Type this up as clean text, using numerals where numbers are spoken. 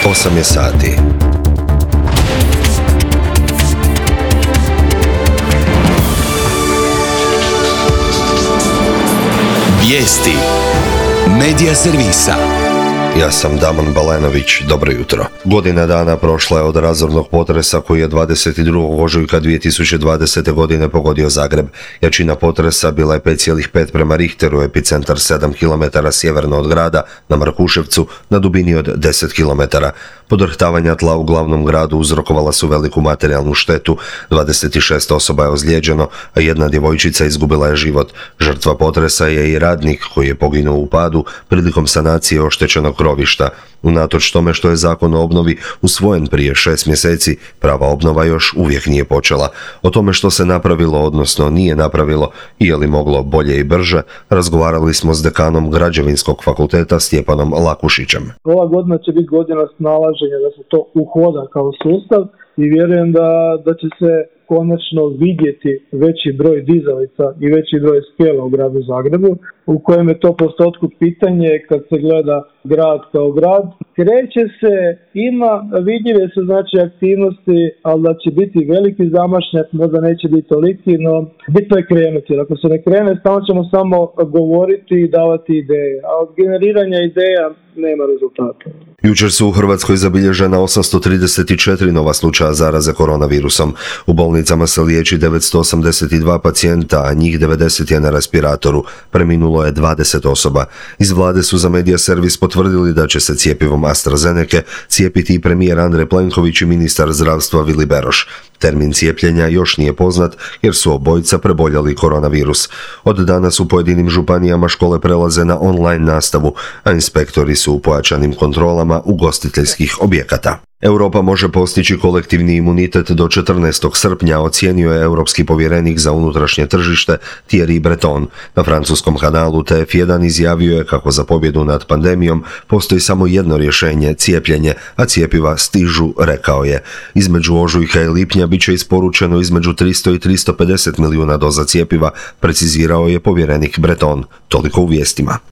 8 je sati. Vijesti Medija servisa. Ja sam Damon Balenović, dobro jutro. Godina dana prošla je od razornog potresa koji je 22. ožujka 2020. godine pogodio Zagreb. Jačina potresa bila je 5,5 prema Richteru, epicentar 7 km sjeverno od grada, na Markuševcu, na dubini od 10 km. Podrhtavanja tla u glavnom gradu uzrokovala su veliku materijalnu štetu, 26 osoba je ozlijeđeno, a jedna djevojčica izgubila je život. Žrtva potresa je i radnik koji je poginuo u padu prilikom sanacije oštećenog krovišta. Unatoč tome što je zakon o obnovi usvojen prije 6 mjeseci, prava obnova još uvijek nije počela. O tome što se napravilo, odnosno nije napravilo i je li moglo bolje i brže, razgovarali smo s dekanom Građevinskog fakulteta Stjepanom Lakušićem. Ova godina će biti godina snalaženja da se to uhoda kao sustav i vjerujem da će se konačno vidjeti veći broj dizalica i veći broj skela u gradu Zagrebu, u kojem je to postotku pitanje kad se gleda grad kao grad. Kreće se, vidljive su znači aktivnosti, ali da će biti veliki zamašnjak, možda neće biti toliki, no bitno je krenuti. Jer ako se ne krene, stalno ćemo samo govoriti i davati ideje, a od generiranja ideja nema rezultata. Jučer su u Hrvatskoj zabilježena 834 nova slučaja zaraze koronavirusom. U bolnicama se liječi 982 pacijenta, a njih 90 je na respiratoru. Preminulo je 20 osoba. Iz vlade su za Medija servis potvrdili da će se cjepivom AstraZenece cijepiti i premijer Andrej Plenković i ministar zdravstva Vili Beroš. Termin cijepljenja još nije poznat jer su obojica preboljeli koronavirus. Od danas u pojedinim županijama škole prelaze na online nastavu, a inspektori su u pojačanim kontrolama ugostiteljskih objekata. Europa može postići kolektivni imunitet do 14. srpnja, ocijenio je europski povjerenik za unutrašnje tržište Thierry Breton. Na francuskom kanalu TF1 izjavio je kako za pobjedu nad pandemijom postoji samo jedno rješenje, cijepljenje, a cjepiva stižu, rekao je. Između ožujka i lipnja bit će isporučeno između 300 i 350 milijuna doza cjepiva, precizirao je povjerenik Breton. Toliko u vijestima.